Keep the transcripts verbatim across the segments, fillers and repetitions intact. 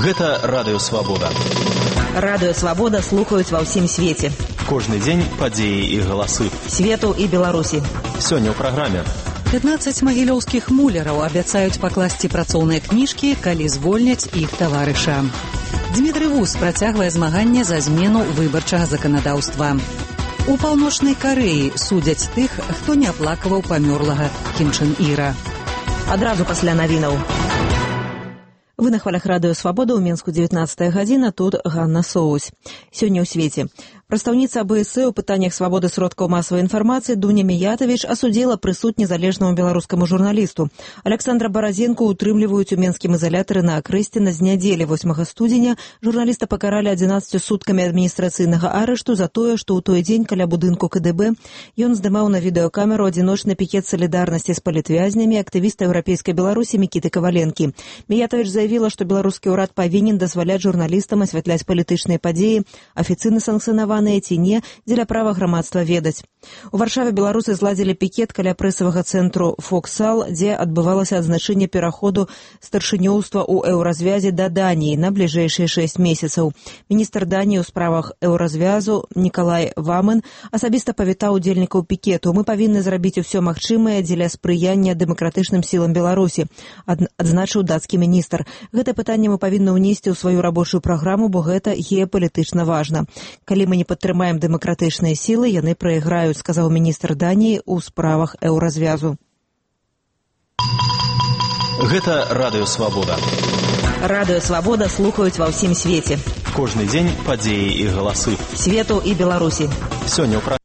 Гэта Радыё Свабода. Радыё Свабода слухаюць ва ўсім свеце. Кожны дзень падзеі і галасы. Свету і Беларусі. Сёння ў праграме. пятнаццаць магілёўскіх муляраў абяцаюць пакласці працоўныя кніжкі, калі звольняць іх таварыша. Дмітрый Вус працягвае змаганне за змену выбарчага заканадаўства. У Паўночнай Карэі судзяць тых, хто не аплакаваў памёрлага Кім Чен Іра. Адразу пасля навінаў. Вы на хвалях Радыё Свабода, ў Мінску дзевятнаццатая гадзіна, тут Ганна Соусь. Сёння ў свеце. Прадстаўніца АБС у пытаннях свабоды сродкаў масавай інфармацыі Дуня Міятавіч асудзіла прысуд незалежнаму беларускаму журналісту. Александра Баразенко утрымліваюць у менскім ізалятары на Акрэсціна з нядзелі восьмага студзеня. Журналіста пакаралі адзінаццаццю суткамі адміністрацыйнага арышту за тое, што ў той дзень каля будынку КДБ ён здымаў на відэакамеру адзіночны пікет салідарнасці з палітвязнямі актывіста еўрапейскай Беларусі Мікіты Каваленкі. Міятавіч заявіла, што беларускі ўрад павінен дазваляць журналістам асвятляць палітычныя падзеі, афіцыйна санкцыянаваныя ці не, дзеля права грамадства ведаць. У Варшаве беларусы зладзілі пікет каля прэсавага цэнтру «Фоксал», дзе адбывалася адзначэнне пераходу старшынёўства ў еўразвязе да Даніі на бліжэйшыя шэсць месяцаў. Міністр Даніі ў справах еўразвязу Нікалай Вамен асабіста павітаў удзельнікаў пікету. Мы павінны зрабіць усё магчымае дзеля спрыяння дэмакратычным сілам Беларусі, адзначыў дацкі міністр. Гэта пытанне мы павінны ўнесці ў сваю рабочую праграму, бо гэта геапалітычна важна. Калі мы не падтрымаем дэмакратычныя сілы, яны прайграюць, сказаў міністр Даніі ў справах еўразвязу. Гэта Радыё Свабода. Радыё Свабода слухаюць ва ўсім свеце. Кожны дзень падзеі і галасы. Свету і Беларусі. Сёння ў праграме.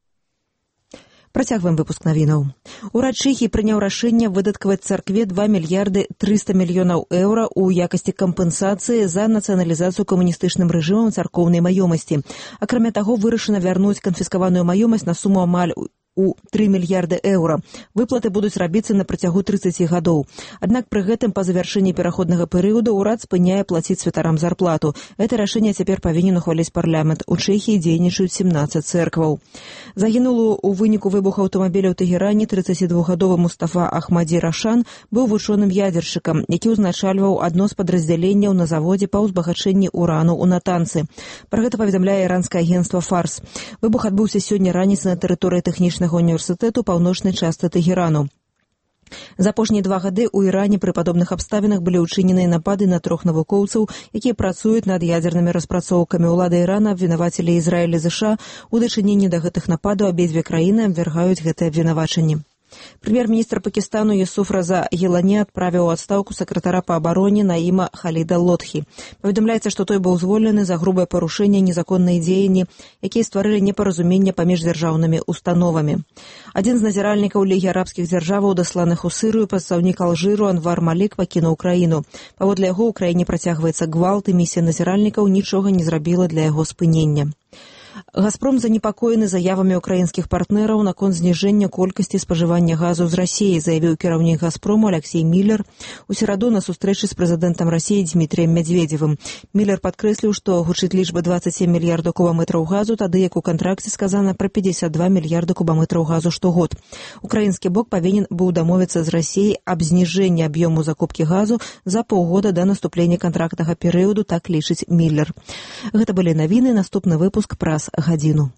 Працягваем выпуск навінаў. Урад Чэхіі прыняў рашэнне выдаткаваць царкве два мільярды трыста мільёнаў еўра ў якасці кампенсацыі за нацыяналізацыю камуністычным рэжымам царкоўнай маёмасці. Акрамя таго, вырашана вярнуць канфіскаваную маёмасць на суму амаль у тры мільярды еўра. Выплаты будуць рабіцца на працягу трыццаці гадоў. Аднак пры гэтым па завяршэнні пераходнага перыяду ўрад спыняе плаціць святарам зарплату. Гэта рашэнне цяпер павінен ухваліць парламент. У Чэхіі дзейнічаюць сямнаццаць цэркваў. Загінулы ў выніку выбуху аўтамабіля ў Тэгеране трыццацідвухгадовы Мустафа Ахмадзі Рашан быў вучоным ядзершчыкам, які ўзначальваў адно з падраздзяленняў на заводзе па ўзбагачэнні урану ў Натанцы. Пра гэта паведамляе іранскае агенцтва Фарс. Выбух адбыўся сёння раніцай на тэрыторыі тэхнічнага універсітэту паўночнай частцы Тэгерану. За апошнія два гады ў Іране пры падобных абставінах былі ўчыненыя напады на трох навукоўцаў, якія працуюць над ядзернымі распрацоўкамі. Улады Ірана абвінавацілі Ізраіль і ЗША у дачыненні да гэтых нападаў. Абедзве краіны абвяргаюць гэтыя абвінавачанні. Прэм'ер-міністр Пакістану Юсуф Раза Гілані адправіў у адстаўку сакратара па абароне Наіма Халіда Лотхі. Паведамляецца, што той быў звольнены за грубае парушэнне незаконныя дзеянні, якія стварылі непаразуменне паміж дзяржаўнымі установамі. Адзін з назіральнікаў Лігі арабскіх дзяржаваў, дасланых у Сырыю, прадстаўнік Алжыру Анвар Малік пакінуў краіну. Паводле яго, у краіне працягваецца гвалт, і місія назіральнікаў нічога не зрабіла для яго спынення. «Газпром» занепакоены заявамі украінскіх партнераў наконт зніжэння колькасці спажывання газу з Расіі, заявіў кіраўнік «Газпрому» Алексей Міллер у сераду на сустрэчы з прэзідэнтам Расіі Дмітрыем Мядзведзевым. Міллер падкрэсліў, што гучыць лічба дваццаць сем мільярдаў кубаметраў газу, тады як у кантракце сказана пра пятьдесят два мільярда кубаметраў газу штогод. Украінскі бок павінен быў дамовіцца з Расіяй аб зніжэнні аб'ёму закупкі газу за паўгода да наступлення кантрактнага перыяду, так лічыць Міллер. Гэта былі навіны, наступны выпуск праз гадзіну.